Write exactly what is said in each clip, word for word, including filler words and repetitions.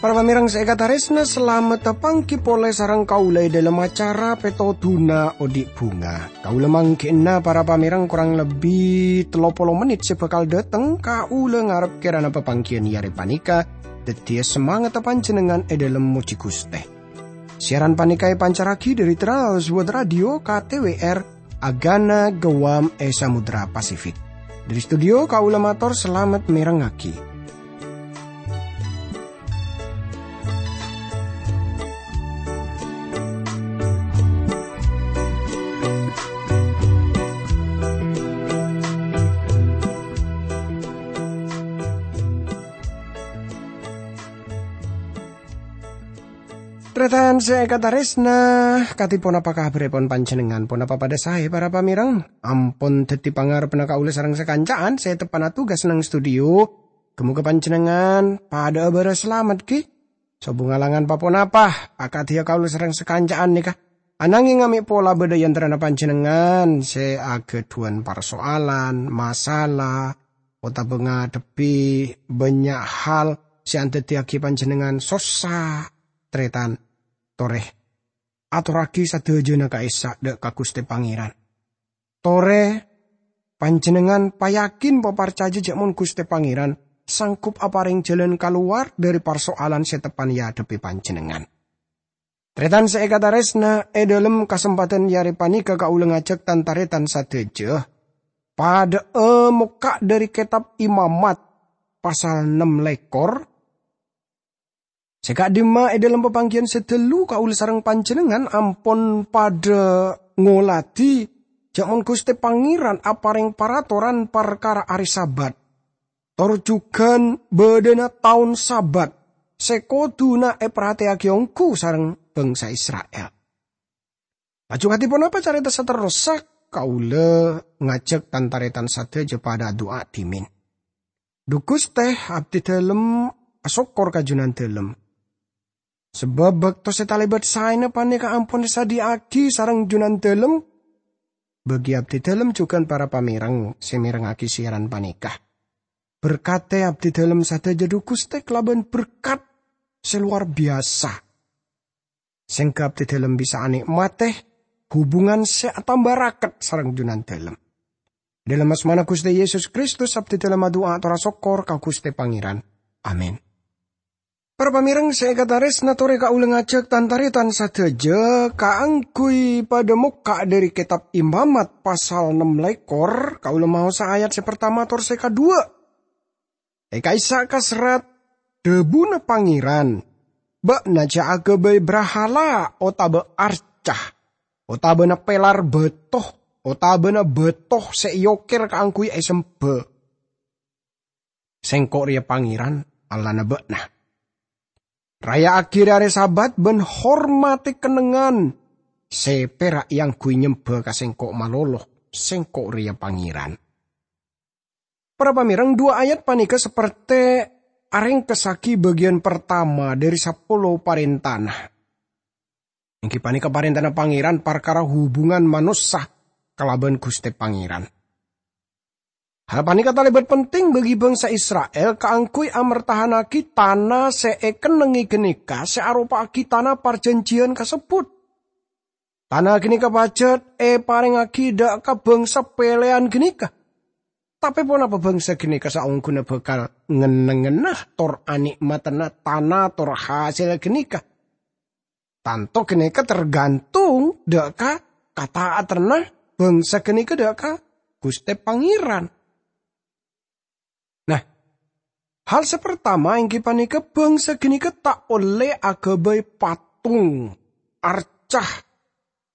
Para pamèrèng sè èkatarèsna, salamet tapangghi polè sareng kaulâ è dhâlem acara Pètodhuna Odi' Bhunga. Kaulâ mangghi'na para pamèrèng korang lebbi tello polo mennit sè bhâkal dhâteng, kaulâ ngarep kèrana papangghiyân è arè panèka dhâddhiyâ samangatta panjhennengngan è dhâlem mojhi Ghustè. Siaran panèka èpancarraghi dhâri Trans World Radio K T W R, Agana Guam è Samudra Pasifik. Dhâri studio kaulâ mator salamet mèrengngaghi. Tarètan sè èkatarèsna, kadhi ponapa kabhârrèpon panjhennengngan? Ponapa padhâ saè, para pamèrèng? Ampon dhâddhi pangarebbhâ kaulâ sareng sakanca'an sè teppa'na tugas neng studio. Ghâ-mogâ panjhennengngan padhâ'â bârâs salamet, ghi? Sobung alangan pa-ponapa, akadhi kaulâ sareng sakanca'an nèka. Anangèng mè' pola bâdâ è antarana panjhennengngan sè aghâdhuwân parsoalan, masalah, otabâ ngadhebbhi bânnya' hal sè andhâddhiyâghi panjhennengngan sossa, tarètan, torè atorraghi sadhâjâna ka'issa' dhâ' ka Ghustè Pangèran. Torè panjhennengngan payakin, paparcajâ jhâ' mon Ghustè Pangèran sanggup aparèng jhâlân kalowar dhâri parsoalan sè teppa'na èadhebbhi panjhennengngan. Tarètan sè èkatarèsna, è dhâlem kasempadhân è arè panèka kaulâ ngajhâk tan-tarètan sadhâjâ padhâ'â mokka' dhâri Kètab Imamat pasal nem lèkor. Sè ka'dimma è dhâlem papangghiyân sè dâllu kaulâ sareng panjhennengngan ampon padhâ ngoladhi jhâ' mon Ghustè Pangèran aparèng paratoran parkara arè Sabat, tor jhughân bâdâna taon Sabat sè kodhuna èparhatèyaghi ongghu sareng bhângsa Isra'il. Laju kadhi ponapa carèta saterrossa? Kaulâ ngajhâk tan-tarètan sadhâjâ padhâ adu'a dhimèn. Dhu Ghustè, abdhi dhâlem asokkor ka Jhunandhâlem. Sabâb bâkto sè talèbât saèna panèka ampon èsadhiyâ'aghi sareng Jhunandhâlem, bagi abdhi dhâlem jhughân para pamèrèng sè mèrengngaghi siaran panèka. Berkatè abdhi dhâlem sadhâjâ, dhu Ghustè, kalabân berkat sè lowar biyasa. Sèngghâ abdhi dhâlem bisa anè'matè hubungan sè atamba raket sareng Jhunandhâlem. Dhâlem asmana Ghustè Yesus Kristus, abdhi dhâlem adu'a ator asokkor ka Ghustè Pangèran. Amin. Para pamèrèng sè èkatarèsna, torè kaulâ ngajhâk tan-tarètan sadhâjâ kaangghuy padhâ mokka' dhâri Kètab Imamat pasal nem lèkor, kaulâ maosa ayat sè partama tor sè kaduwâ'. È ka'issa' kaserrat, dhâbuna Pangèran, "Bâ'na jhâ' aghâbây brahala otabâ arca, otabâna pèlar bâto, otabâna bâto sè èokèr kaangghuy èsembhâ. Sèngko' rèya Pangèran, Allahna bâ'na. Raya'aghi rè-arè Sabat bân hormatè kennengngan sè pèra' èangghuy nyembhâ ka Sèngko' malolo. Sèngko' rèya Pangèran." Para pamèrèng, duwâ' ayat panèka sapertè arèngkessaghi bâgiyân partama dhâri sapolo parèntana. Èngghi panèka parèntana Pangèran parkara hubungan manossa kalabân Ghustè Pangèran. Hal panèka talèbât penting bagi bhângsa Isra'il kaangghuy amertahannaghi tana sè èkennengngè ghânèka sè aropa'aghi tana parjhânjhiyân kasebbhut. Tana ghânèka pajhât èparèngngaghi dhâ' ka bhângsa pèlèyan ghânèka. Tapè ponapa bhângsa ghânèka saongghuna bhâkal ngennengnganna tor anè'matana tana tor hasèlla ghânèka? Tanto ghânèka tergantung dhâ' ka kata'atanna bhângsa ghânèka dhâ' ka Ghustè Pangèran. Nah, hal sè partama èngghi panèka bhângsa ghânèka ta' ollè aghâbây patung, arca,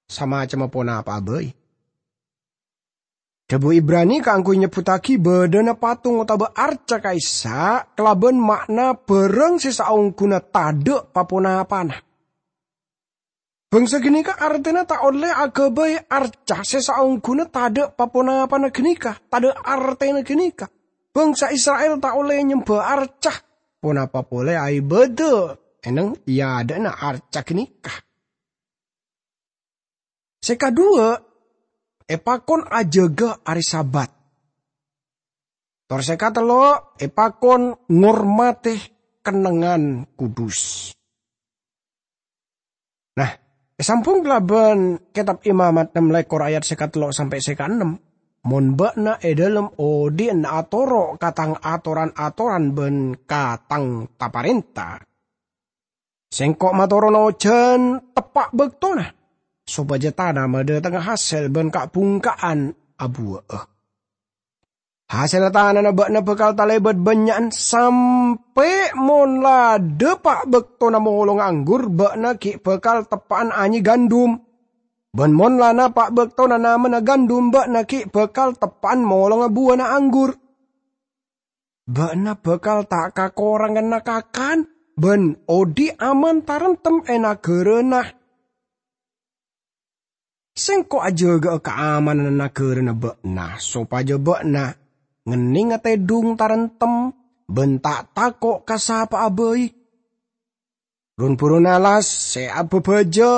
samacemma ponapa'a bhâi. Dhâbu Ibrani kaangghuy nyebbhuttaghi bâdâna patung otabâ arca ka'issa' kalabân ma'na bhârâng sè saongghuna tadhâ' pa-ponapana. Bhângsa ghânèka artèna ta' ollè aghâbây arca sè saongghuna tadhâ' pa-ponapana ghânèka, tadhâ' artèna ghânèka. Bhângsa Isra'il ta' ollè nyembhâ arca, ponapa polè aèbâdâ eneng è adâ'na arca ghânèka. Sè kaduwâ', èpakon ajâgâ arè Sabat. Tor sè katello', èpakon ngormadhi kennengngan kudus. Nah, èsambhung kalabân Kètab Imamat ennem lèkor ayat sè katello' sampè' sè kaennem, "Mon bâ'na è dhâlem odi'na atoro' ka tang atoran-atoran bân ka tang ta-parènta, Sèngko' matorona ojhân teppa' bâktona, sopajâ tana madhâtengnga hasèl bân ka'-bhungka'an abuwâ'â. Hasèlla tanana bâ'na bhâkal talèbât bânnya'an, sampè' mon la dâpa' bâktona molonga anggur, bâ'na ghi' bhâkal teppa'an anyè gandum. Bân mon la napa' bâktona namana gandum, bâ'na ghi' bhâkal teppa'an molonga buwâna anggur. Bâ'na bhâkal ta' kakoranganna kakan, bân odi' aman taremtem è naghârâna. Sèngko' ajâgâ'â kaamananna naghârâna bâ'na, sopajâ bâ'na ngennengnga tèdung taremtem bân ta' tako' ka sapa'a bhâi. Run-burun alas sè abhâbhâjâ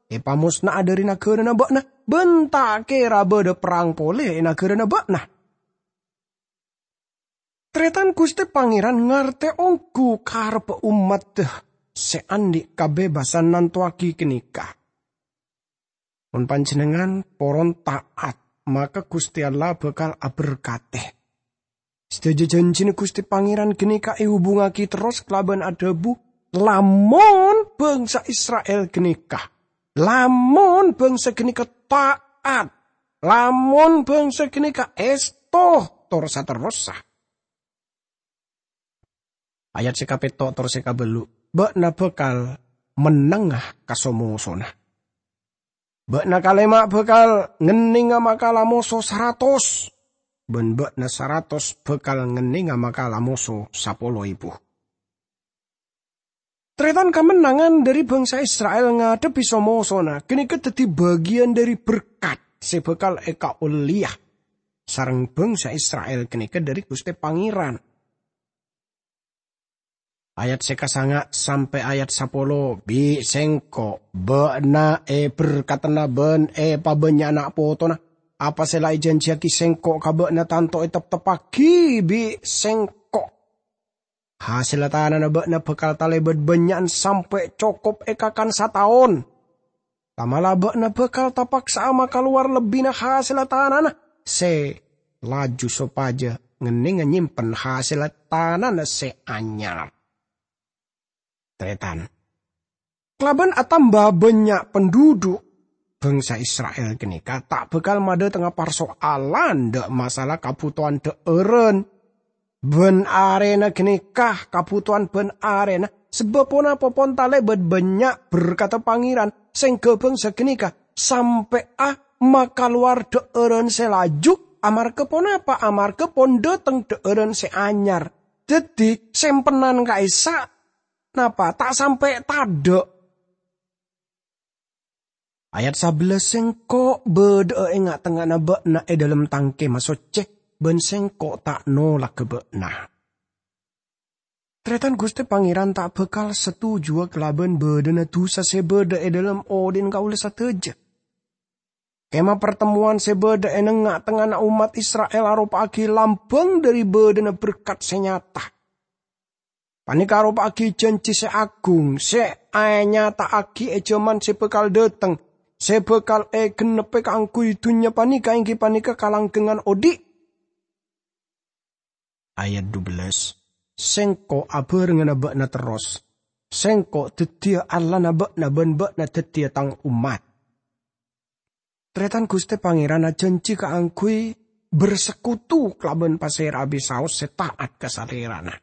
èpamosna'a dhâri naghârâna bâ'na, bân ta' kèra bâdâ perrang polè è naghârâna bâ'na." Tarètan, Ghustè Pangèran ngartè ongghu karebbhâ ommaddhâ sè andi' kabebassan nantowaghi ghânèka. Mon panjhennengngan poron ta'at, maka Ghustè Allah bhâkal aberkadhi. Sadhâjâ jhânjhina Ghustè Pangèran ghânèka èhubungngaghi terros kalabân adhâbu, "Lamon bhângsa Isra'il ghânèka, lamon bhângsa ghânèka ta'at, lamon bhângsa ghânèka èsto tor saterrossa." Ayat sè kapètto' tor sè kabâllu', "Bâ'na bhâkal mennengnga ka so-mosona. Bâ'na kalèma' bhâkal ngennengnga makala moso saratos, bân bâ'na saratos bhâkal ngennengnga makala moso sapolo èbu." Tarètan, kamennangan dhâri bhângsa Isra'il ngadhebbhi so-mosona ghânèka dhâddhi bâgiyân dhâri berkat sè bhâkal èkaollèya sareng bhângsa Isra'il ghânèka dhâri Ghustè Pangèran. Ayat sè kasanga' sampè' ayat sapolo, "Bi' Sèngko' bâ'na èberkadhâna bân èpabânnya'ana potona. Apa sè la èjhânjhiyaghi Sèngko' ka bâ'na tanto ètepteppaghi bi' Sèngko'. Hasèlla tanana bâ'na bhâkal talèbât bânnya'an sampè' cokop èkakan sataon. Tamala bâ'na bhâkal tapaksa'a makalowar lebbina hasèlla tanana sè laju sopajâ ngennengnga nyèmpen hasèlla tanana sè anyar." Tarètan, kalabân atamba bânnya' penduduk, bhângsa Isra'il ghânèka ta' bhâkal madhâtengnga parsoalan dâ' masalah kabhutowan dhâ'ârân bân arèna ghânèka, kabhutowan bân arèna, sabâb ponapa pon talèbât bânnya' berkadhâ Pangèran, sèngghâ bhângsa ghânèka sampè'a makalowar dhâ'ârân sè laju. Amarghâ ponapa? Amarghâ pon dhâteng dhâ'ârân sè anyar. Dhâddhi, sèmpenan ka'issa' napa ta' sampè' tadâ'. Ayat sabellâs, "Sèngko' bâdâ'â è nga'-tengnga'anna bâ'na è dhâlem tang kemah soccè, bân Sèngko' ta' nolagghâ bâ'na." Tarètan, Ghustè Pangèran ta' bhâkal setujuwâ kalabân bâdâna dhusa sè bâdâ è dhâlem odi'na kaulâ sadhâjâ. Kemah partemmowan sè bâdâ è nengnga'-tengnga'anna ommat Isra'il aropa'aghi lambâng dhâri bâdâna berkat sè nyata. Panèka aropa'aghi jhânjhi sè aghung sè ènyata'aghi è jhâman sè bhâkal dhâteng, sè bhâkal ègennebbhi kaangghuy dhunnya panèka, èngghi panèka kalanggengngan odi'. Ayat dubellâs, "Sèngko' abhârengngana bâ'na terros. Sèngko' dhâddhiyâ Allahna bâ'na bân bâ'na dhâddhiyâ Tang ommat." Tarètan, Ghustè Pangèran ajhânjhi kaangghuy bersekutu kalabân pasèra'a bisaos sè ta'at ka Salèrana.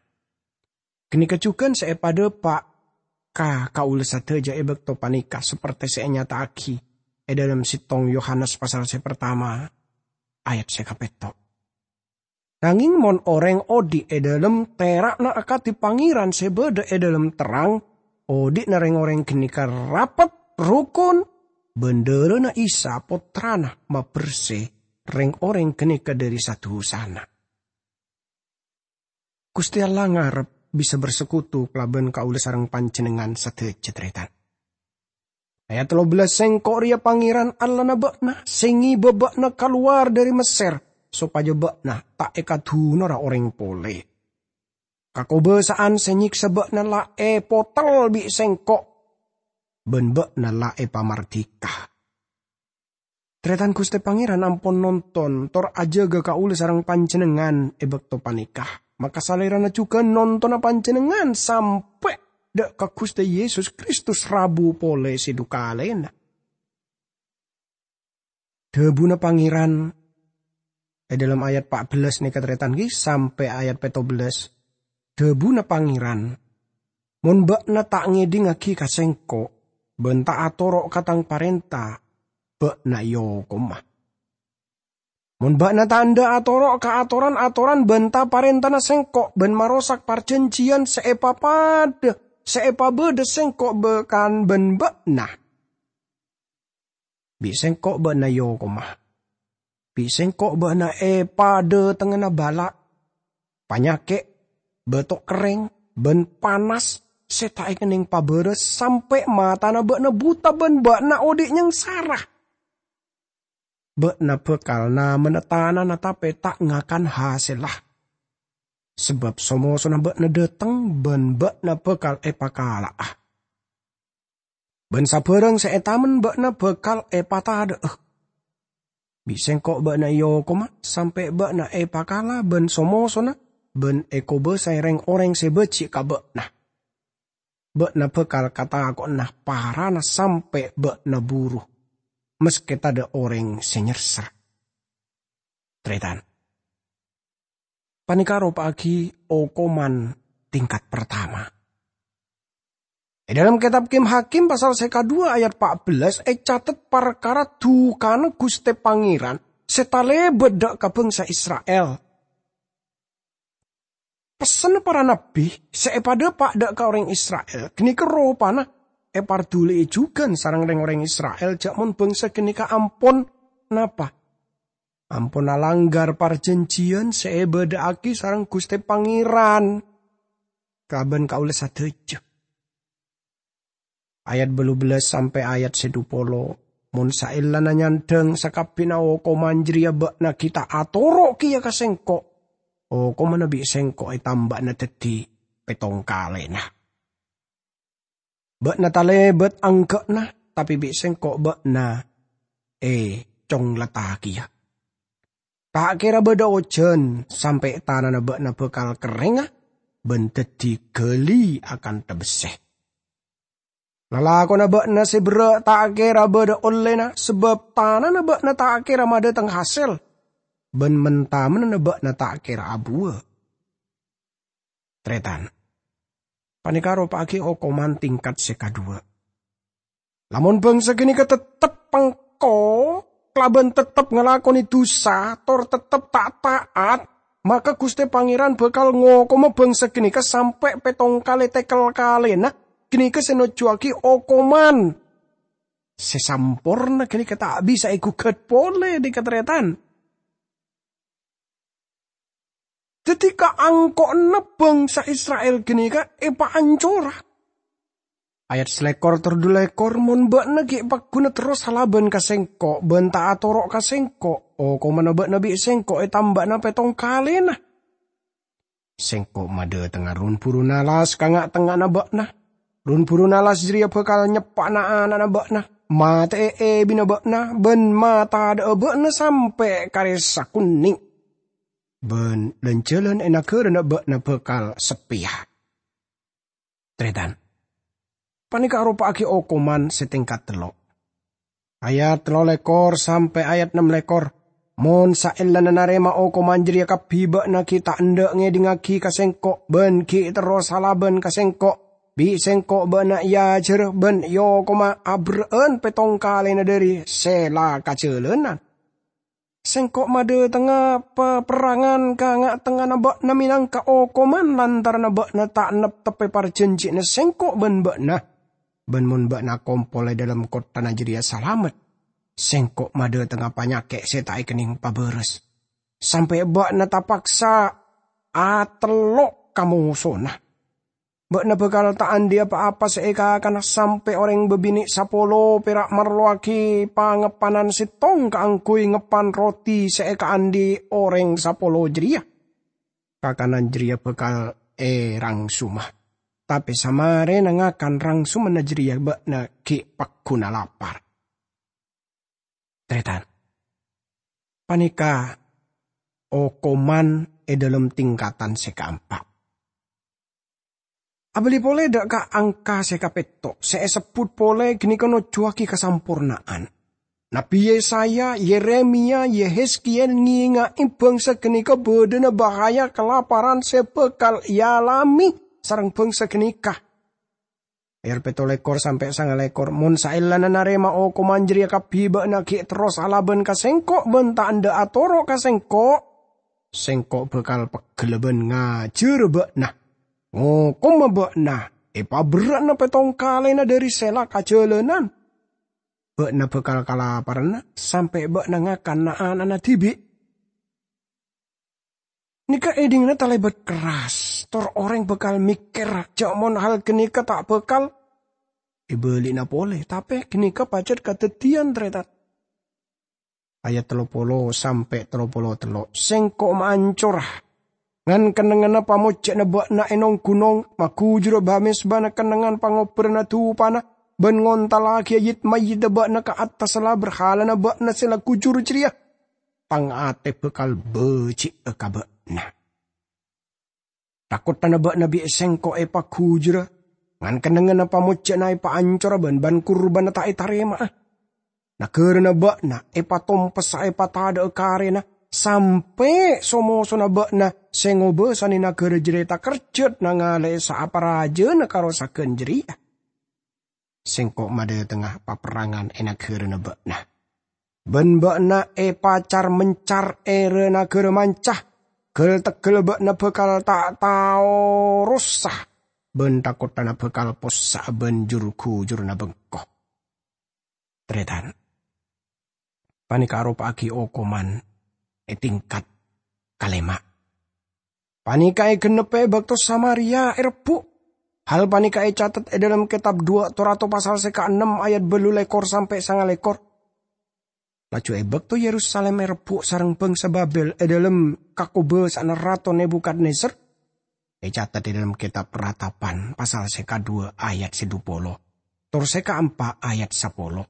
Ghânèka jhughân sè èpadhâpa' ka kaulâ sadhâjâ è bâkto panèka, sapertè sè ènyata'aghi è dhâlem sèttong Yohanes pasal sè partama, ayat sè kapètto'. Nangèng mon orèng odi' è dhâlem tera'na akadhi Pangèran sè bâdâ è dhâlem terrang, odi'na rèng-orèng ghânèka rapet, rokon, bân dhârâna Isa, Pottrana, mabersè rèng-orèng ghânèka dhâri sa-dhusana. Ghustè Allah ngarep bisa bersekutu kalaban kaulâ sareng panjhennengngan sadhâjâ, tarètan. Ayat tello bellas, "Sengko' reya Pangeran Allahna ba'na, se ngeba ba'na kalowar dhari Messer, sopaja ba'na ta' ekadunora oreng pole. Kakobasa'an se nyeksa ba'na la epotel bi' Sengko', ban ba'na la epamardika." Taretan, Guste Pangeran ampon nonton tor ajaga kaula sareng panjennengngan e bakto paneka. Maka Salerana jugan nontona panjennengngan sampe' dha' ka Guste Yesus Kristus rabu pole se du kalena. Dhabuna Pangeran e dhalem ayat pa' bellas neka, taretan, gi, sampe' ayat petto bellas. Dhabuna Pangeran, "Mon ba'na ta' ngedhingngagi ka Sengko', ban ta' atoro' ka Tang parenta, ba'na eokoma. Mon ba'na ta' endha' atoro' ka atoran-atoran ban ta-parentana Sengko', ban marosak parjanjiyan se epapadha, se epabadha Sengko' bakan ban ba'na, bi' Sengko' ba'na eokoma. Bi' Sengko' ba'na epadhatengngana bala', panyake', bato kerreng, ban panas se ta' ekenneng pabaras, sampe' matana ba'na buta ban ba'na odhi' nyangsara. Ba'na bakal namana tanana tape ta' ngakan hasella, sabab so-mosona ba'na dhateng ban ba'na bakal epakala'a. Ban sabarang se etamen ba'na bakal epatadha'a. Bi' Sengko' ba'na eokoma sampe' ba'na epakala ban so-mosona ban ekobasae reng-oreng se baji' ka ba'na. Ba'na bakal katako'na parana sampe' ba'na buru, maske tadha' oreng se nyerser." Taretan, paneka aropa'agi okoman tingkat partama. E dhalem Ketab Kim-Hakim pasal se kadhuwa ayat pa' bellas ecatet parkara dukana Guste Pangeran se talebat dha' ka bangsa Isra'il. Pessenna para nabbi se epadhapa' dha' ka oreng Isra'il ganeka ropana eparduli'i jugan sareng reng-oreng Isra'il, ja' mon bangsa ganeka ampon napa? Ampon alanggar parjanjiyan se ebadha'agi sareng Guste Pangeran kalaban kaula sadaja. Ayat bâllu bellas sampe' ayat se dhu polo, "Mon saellana nyandhang sakabbina okoman jareya ba'na gi' ta' atoro' keya ka Sengko', okomanna bi' Sengko' etamba'ana daddi pettong kalena. Ba'na talebat angga'na, tape bi' Sengko' ba'na econglatta keya. Ta' kera badha ojan sampe' tanana ba'na bakal kerrengnga ban daddi gali akantha besse. Lalakonna ba'na se berra' ta' kera badha ollena, sabab tanana ba'na ta' kera madhateng hasel, ban men-tamenna ba'na ta' kera abuwa." Taretan, paneka aropa'agi okoman tingkat se kadhuwa. Lamon bangsa ganeka tettep pengko kalaban tettep ngalakone dusa tor tettep ta' ta'at, maka Guste Pangeran bakal ngokoma bangsa ganeka sampe' pettong kale tekel kalena, ganeka se nojjuwagi okoman se samporna ganeka ta' bisa egugat pole, dhi-, kataretan. Daddi, kaangko'na bangsa Isra'il ganeka epaancora. Ayat salekor tor dulekor, "Mon ba'na gi' paggun terros alaban ka Sengko' ban ta' atoro' ka Sengko', okomanna ba'na bi' Sengko' etamba'ana pettong kalena. Sengko' madhatengnga run-burun alas ka nga'-tengnga'anna ba'na. Run-burun alas jareya bakal nyeppa'ana ana'na ba'na, mate'e ebina ba'na, ban matadha'a ba'na sampe' karessa kunne'. Ban lan-jalan e nagarana ba'na bakal seppeya." Taretan, paneka aropa'agi okoman se tingkat tello'. Ayat tello lekor sampe' ayat nem lekor, "Mon saellana narema okoman jareya kabbi ba'na gi' ta' endha' ngedhingngagi ka Sengko' ban gi' terros alaban ka Sengko', bi' Sengko' ba'na eajara ban eokoma aberra'an pettong kalena dhari se la kajalanan. Sengko' madhatengnga paperrangan ka nga'-tengnga'anna ba'na menangka okoman lantaranna ba'na ta' nepteppe parjanjiyyanna Sengko' ban ba'na. Ban mon ba'na akompol e dhalem kotthana jareya salamet, Sengko' madhatengnga panyake' se ta' ekenneng pabaras, sampe' ba'na tapaksa atello' ka mosona. Bâ'na bhâkal ta' andi' pa-apa sè èkakana sampè' orèng bâbinè' sapolo pèra' marlowaghi pangeppanan sèttong kaangghuy ngeppan roti sè èkaandi' orèng sapolo jârèya. Kakanan jârèya bhâkal èrangsoma. Tapè samarèna ngakan rangsomanna jârèya bâ'na ghi' pagghuna lapar. Tarètan. Panèka okoman è dhâlem tingkatan sè kaempa'. Abâli polè dhâ' ka angka sè kapètto', sè èsebbhut polè ghânèka nojjuwaghi kasamporna'an. Nabbhi Yesaya, Yeremia, Yehezkiel ngènga'è bhângsa ghânèka bâdâna bahaya kalaparan sè bhâkal èalamè sareng bhângsa ghânèka. Ayat pètto lèkor sampè' sanga lèkor, "Mon saellana narèma okoman jârèya kabbhi bâ'na ghi' terros alabân ka Sèngko' bân ta' endâ' atoro' ka Sèngko', Sèngko' bhâkal pegghellâ bân ngajhârâ bâ'na, ngokoma bâ'na èpaberrâ'na pèttong kalèna dhâri sè la ka jhâlânan. Bâ'na bhâkal kalaparanna sampè' bâ'na ngakan na'-ana'na dhibi'." Nèka èdhinganna talèbât kerras, tor orèng bhâkal mèkkèr jâ' mon hal ghânèka ta' bhâkal èbâli'na polè, tapè ghânèka pajhât kadhâddhiyân, tarètan. Ayat tello polo sampè' tello polo tello', "Sèngko' maancora, ngan-kennengnganna pamojjhâ'na bâ'na è nong-ghunong, maghujura ba-mèzbana kennengngan pangobbhâranna dupana, bân ngontallaghi yit-mayyidda bâ'na ka attassa la berhalana bâ'na sè la ghujur jârèya. Tang atè bhâkal bâji'â ka bâ'na. Takottana bâ'na bi' Sèngko' èpaghujura, ngan-kennengnganna pamojjhâ'na èpaancora bân ban-kurbânna ta' ètarèma'a. Naghârâna bâ'na èpatompessa èpatadhâ'â karèna, sampè' so-mosona bâ'na sè ngobâsanè naghârâ jârèya takerjhât nangalè'è saaparajâna karosaghân jârèya. Sèngko' madhâtengnga paperrangan è naghârâna bâ'na. Bân bâ'na èpacar-mencar è ra-naghârâ manca. Ghâl-tegghâl bâ'na bhâkal ta' tao rosa, bân takottana bhâkal possa'a bân jur-ghujurânna bengko." Tarètan. Panèka aropa'aghi okoman è tingkat kalèma'. Panèka ègennebbhâ è bâkto Samaria èrebbhu'. Hal panèka ècatet è dhâlem kètab Duwâ' Torato pasal sè kaennem ayat bâllu lèkor sampè' sanga lèkor. Laju è bâkto Yerusalim èrebbhu' sareng bangsa Babel è dhâlem kakobâsa'anna Rato Nebukadnezar, ècatet è dhâlem kètab Ratapan pasal sè kaduwâ' ayat sè dupolo, tor sè kaempa' ayat sapolo.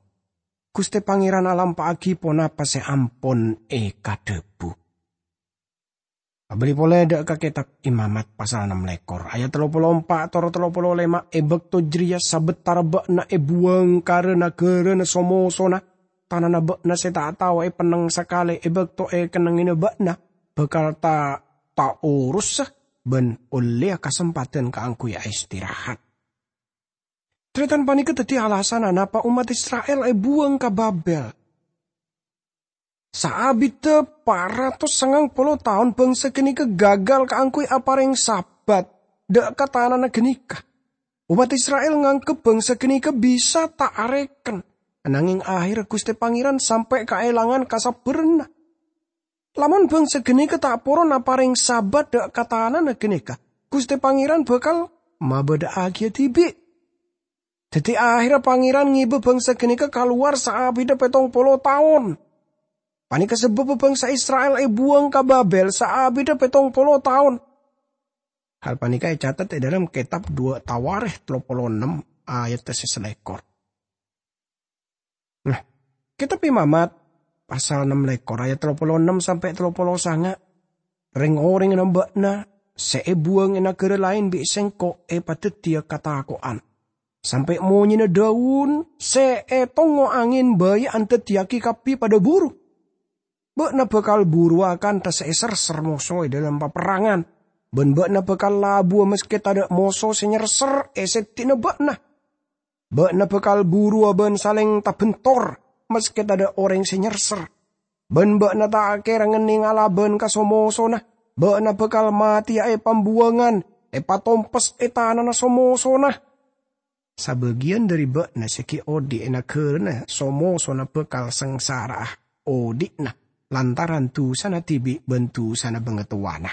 Ghustè Pangèran alampa'aghi ponapa sè ampon èkadhâbu. Abâli polè dhâ' ka kètab Imamat pasal ennem lèkor, ayat tello polo empa' tor tello polo lèma', è bâkto jârèya sabâtara bâ'na èbuwâng ka ra-naghârâna so-mosona, tanana bâ'na sè ta' tao èpennèng sakalè è bâkto èkennèngngèna bâ'na bhâkal ta-, taorosa bân ollèya kasempadhân kaangghuy aistirahat. Tarètan panèka dhâddhi alasanna napa ommat Isra'il èbuwâng ka Babel. Saabiddhâ pa ratos sangang polo taon bangsa ghânèka gagal kaangghuy aparèng Sabat dhâ' ka tanana ghânèka. Ommat Isra'il nganggep bangsa ghânèka bisa ta' arèken, nangèng ahèrra Ghustè Pangèran sampè' kaèlangan kasabbhârânna. Lamon bangsa ghânèka ta' poron aparèng Sabat dhâ' ka tanana ghânèka, Ghustè Pangèran bhâkal mabâdhâ'âghiyâ dhibi'. Dhâddhi, ahèrra Pangèran ngèbâ bangsa ghânèka kalowar saabiddhâ pèttong polo taon. Panèka sabâbbhâ bangsa Isra'il èbuwâng ka Babel saabiddhâ pèttong polo taon. Hal panèka ècatet è dhâlem kètab Duwâ' Tawarèkh tello polo ennem ayat sè salèkor. Nah, kètab Imamat, pasal ennem lèkor ayat tello polo ennem sampè' tello polo sanga', "Rèng-orèngnga bâ'na sè èbuwâng è naghârâ laèn bi' Sèngko' èpadhâddhiyâ katako'an, sampè' monyèna dâun sè ètongngo angèn bhâi andhâddhiyâghi kabbhi padâ buru. Bâ'na bhâkal buruwâ kantha sè èserser moso è dhâlem paperrangan, bân bâ'na bhâkal labuwâ maskè tadhâ' moso sè nyerser è sèddhi'na bâ'na. Bâ'na bhâkal buruwâ bân salèng tabentor, maskè tadhâ' orèng sè nyerser. Bân bâ'na ta' kèra ngennèng alabân ka so-mosona. Bâ'na bhâkal matèya è pambuwângan, èpatompes è tanana so-mosona. Sabâgiyân dhâri bâ'na sè ghi' odi' è naghârâna so-mosona bhâkal sangsara'a odi'na lantaran dusana dhibi' bân dusana bangatowana."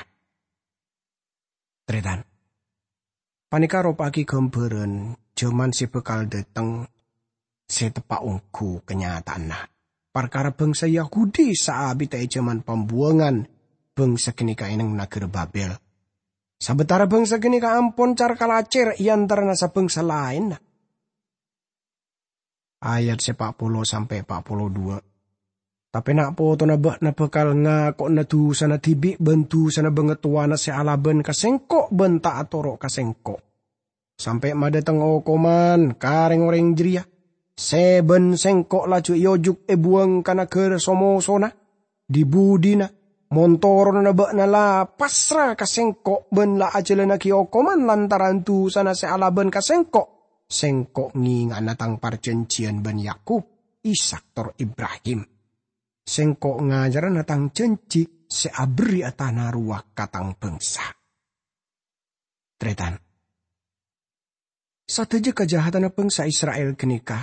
Tarètan. Panèka aropa'aghi ghâmbhârân jhâman sè bhâkal dhâteng sè teppa' ongghu kanyata'anna. Parkara bhângsa Yahudi saabidhâ è jhâman pambuwângan bhângsa ghânèka è neng naghârâ Babel. Sabâtara bhângsa ghânèka ampon car-kalacèr è antarana sabhângsa laènna. Ayat sè pa' polo sampè' pa' polo duwâ'. Tapè na' potona bâ'na bhâkal ngako'na dusana dhibi' bân dusana bangatowana sè alabân ka Sèngko' bân ta' atoro' ka Sèngko'. Sampè' madhâteng okoman ka rèng-orèng jârèya, sè bân Sèngko' laju èojuk èbuwâng ka naghârâ so-mosona. Dhi-budhina, mon toronanna bâ'na la pasra ka Sèngko' bân la ajhâlânnaghi okoman lantaran dusana sè alabân ka Sèngko', Sèngko' ngènga'ana Tang parjhânjhiyân bân Yakub, Ishak, tor Ibrahim. Sèngko' ngajarana Tang jhânjhi sè aberri'a tana rowa ka Tang bhângsa. Tarètan. Sadhâjâ kajahatanna bhângsa Isra'il ghânèka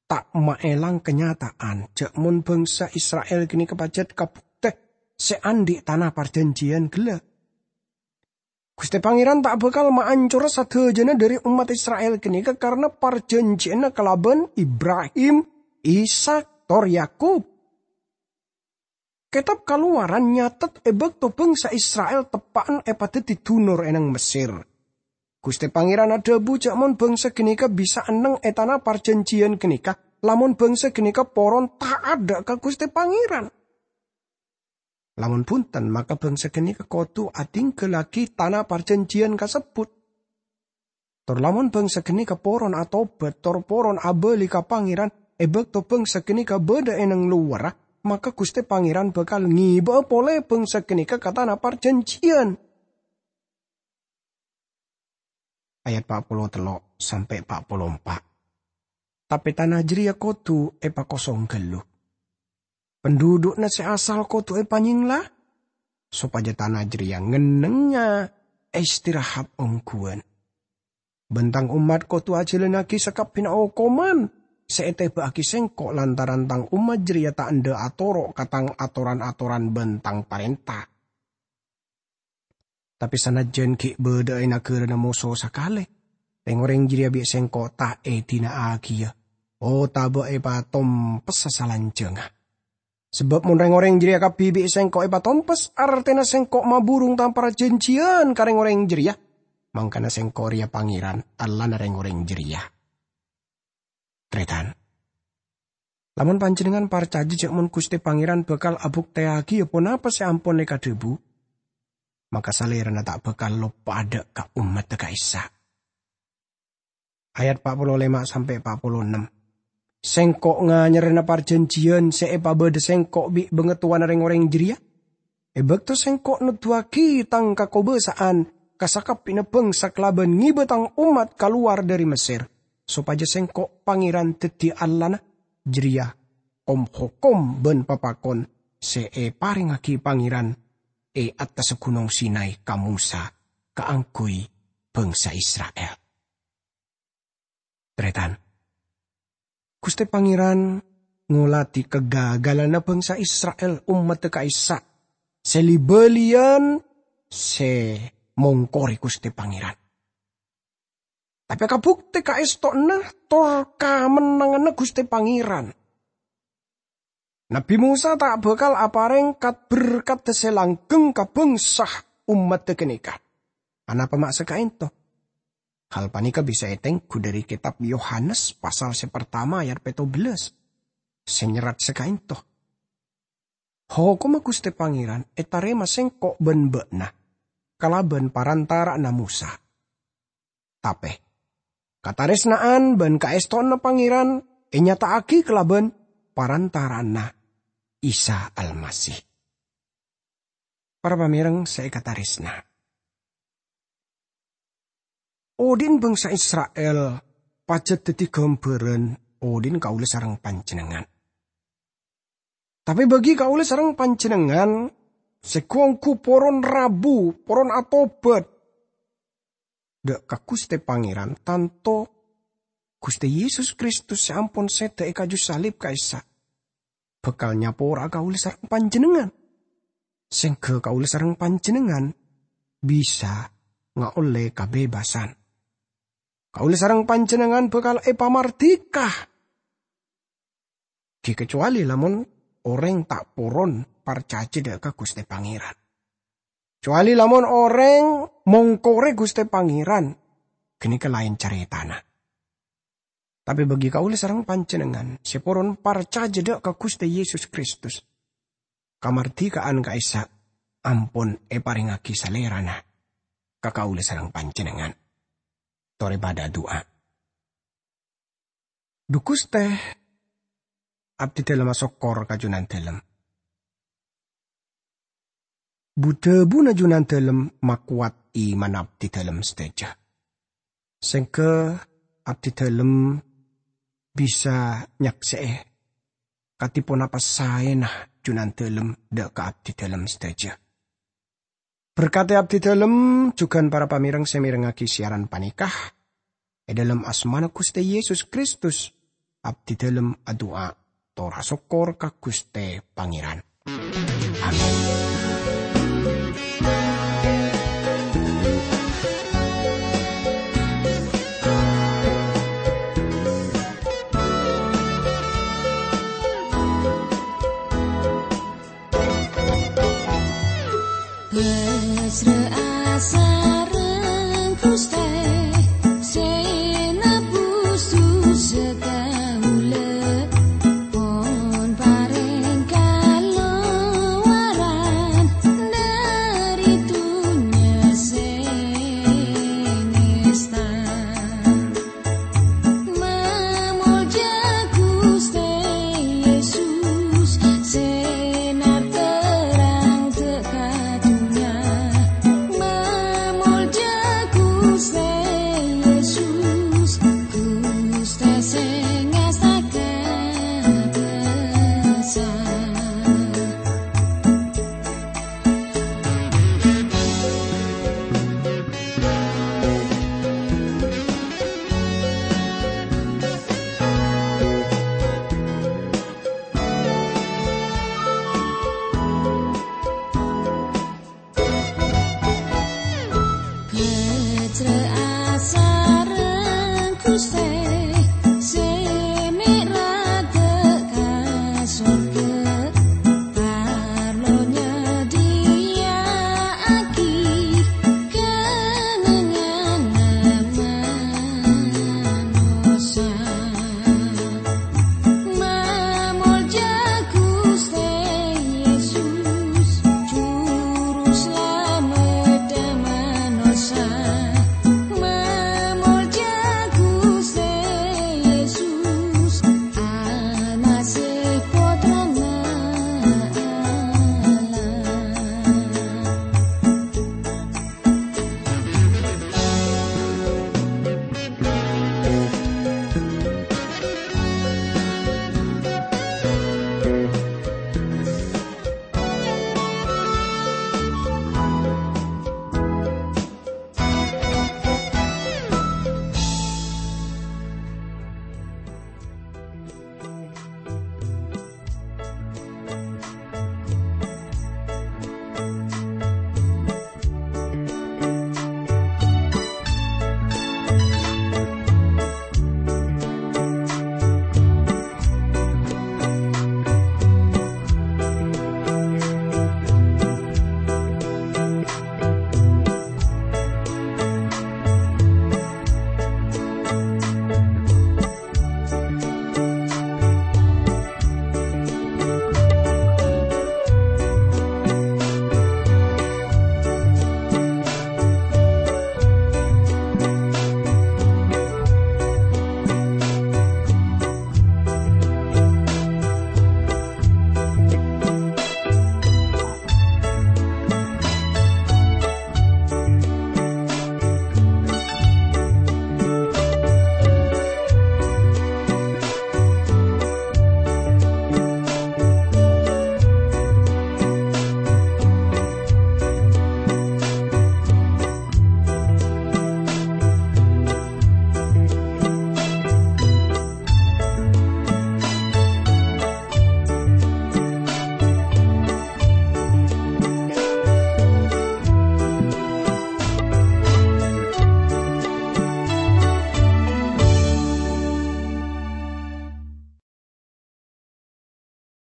ta' maèlang kanyata'an jhâ' mon bhângsa Isra'il ghânèka pajhât kabuktè sè andhi' tana parjhânjhiyân ghellâ'. Ghustè Pangèran ta' bhâkal maancora sadhâjâna dhâri ommat Isra'il ghânèka karana parjhânjhiyânna kalabân Ibrahim, Ishak, tor Yakub. Kètab Kalowaran nyatet è bâkto bhângsa Isra'il teppa'na èpadhâddhi dunor è neng Messèr, Ghustè Pangèran adhâbu jhâ' mon bhângsa ghânèka bisa enneng è tana parjhânjhiyân ghânèka, lamon bhângsa ghânèka poron ta'at dhâ' ka Ghustè Pangèran. Lamon bhunten, maka bhângsa ghânèka kodhu adhinggâllaghi tana parjhânjhiyân kasebbhut. Tor lamon bhângsa ghânèka poron atobhât, tor poron abâli ka Pangèran è bâkto bhângsa ghânèka bâdâ è neng lowarra, maka Ghustè Pangèran bhâkal ngèbâ'â polè bhângsa ghânèka ka tana parjhânjhiyân. Ayat pa' polo tello' sampè' pa' polo empa'. Tapè tana jârèya kodhu èpakosong ghâllu. Pendudukna sè asal kodhu èpanyèngla, sopajâ tana jârèya ngennengnga èstirahat ongghuwân. Bân Tang ommat kodhu ajhâlânnaghi sakabbhiyânna okoman sè ètèbâ'aghi Sèngko' lantaran Tang ommat jârèya ta' endâ' atoro' ka Tang atoran-atoran bân Tang parènta. Tapè sanajjân ghi' bâdâ'â è naghârâna moso sakalè, rèng-orèng jârèya bi' Sèngko' ta' èdina'aghiyâ otabâ èpatompessa salanjhângnga. Sabâb mon rèng-orèng jârèya kabbhi bi' Sèngko' èpatompes, artèna Sèngko' maburung Tang parjhânjhiyân ka rèng-orèng jârèya, mangkana Sèngko' rèya Pangèran, Allahna rèng-orèng jârèya. Tarètan. Lamon panjhennengngan parcajâ jhâ' mon Ghustè Pangèran bhâkal abuktèyaghi ponapa sè ampon èkadhâbu, maka Salèrana ta' bhâkal loppa'a dhâ' ka ommaddhâ ka'issa'. Ayat pa' polo lèma' sampè' pa' polo ennem. Sèngko' nganyarana parjhânjhiyân sè èpabâdâ Sèngko' bi' bangatowana rèng-orèng jârèya. È bâkto Sèngko' noddhuwâghi Tang kakobâsa'an ka sakabbhiyânna bhângsa kalabân ngèbâ Tang ommat kalowar dhâri Messèr, sopajâ Sèngko' Pangèran dhâddhi Allahna, jârèya kom-hokom bân papakon sè èparèngaghi Pangèran è attassa Ghunong Sinai ka Mosa kaangghuy bhângsa Isra'il. Tarètan. Ghustè Pangèran ngoladhi kagagalanna bhângsa Isra'il, ommaddhâ ka'issa' sè li-bâliyân sè mongkorè Ghustè Pangèran. Tapè kabuktè kaèstowanna tor kamennanganna Ghustè Pangèran. Nabbhi Mosa ta' bhâkal aparèng kat-berkat sè langghâng ka bhângsa ommaddhâ ghânèka. Anapa ma' sè ka'ènto? Hal panèka bisa ètengghu dhâri kètab Yohanes pasal sè partama ayat pètto bellâs, sè nyerrat sè ka'ènto, "Hokomma Ghustè Pangèran ètarèma sèngko' bân bâ'na kalabân parantara'anna Mosa." Tapè, katarèsna'an bân kaèstowanna Pangèran ènyata'aghi kalabân parantara'anna Isa Almasih. Para pamèreng sè èkatarèsna, odhi'na bhângsa Isra'il pajhât dhâddhi ghâmbhârân odhi'na kaulâ sareng panjhennengngan. Tapè bagi kaulâ sareng panjhennengngan sè ghu-ongghu poron rabu, poron atobhât dhâ' ka Ghustè Pangèran, tanto Ghustè Yesus Kristus sè ampon sèdhâ è kaju salib ka'issa' bhâkal nyapora'a kaulâ sareng panjhennengngan, sèngghâ kaulâ sareng panjhennengngan bisa ngaollè kabebasân. Kaulâ sareng panjhennengngan bhâkal èpamardhika, ghi' kacuwali lamon orèng ta' poron parcajâ dâ' ka Ghustè Pangèran. Kacuwali lamon orèng mongkorè Ghustè Pangèran, ghânèka laèn carètana. Tapè bagi kaulâ sareng panjhennengngan sè poron parcajâ dâ' ka Ghustè Yesus Kristus, kamardhikaan ka'issa' ampon èparèngngaghi Salèrana ka kaulâ sareng panjhennengngan. Torè padâ adu'a. Dhu Ghustè, abdhidhâlem asokkor ka Junandhâlem. Bu-dhâbuna Junandhâlem makowat imanna abdhidhâlem sadhâjâ. Sèngghâ abdhidhâlem bisa nyaksè'è kadhi ponapa saèna Junandhâlem dâ' ka abdhidhâlem sadhâjâ. Berkadhi abdhidhâlem jhughân para pamèreng sè mèrengngaghi siaran panèka. È dhâlem asmana Ghustè Yesus Kristus, abdhidhâlem adu'a, tor asokkor ka Ghustè Pangèran. Amin. Pasra'a sareng Ghustè sè nebus dhusa kaulâ, pon parèng kalowaran dhâri dhunnya sè ngèsta. Mamolja Ghustè Yesus, sè narterrang dâ' ka dhunnya. Mamolja Ghustè Yesus, Ghustè sè ngastaka dhisa. Kecra'a sareng Ghustè sè mèra dâ' ka sorghâ, parlo nyadhiya'aghi kennengnganna manossa.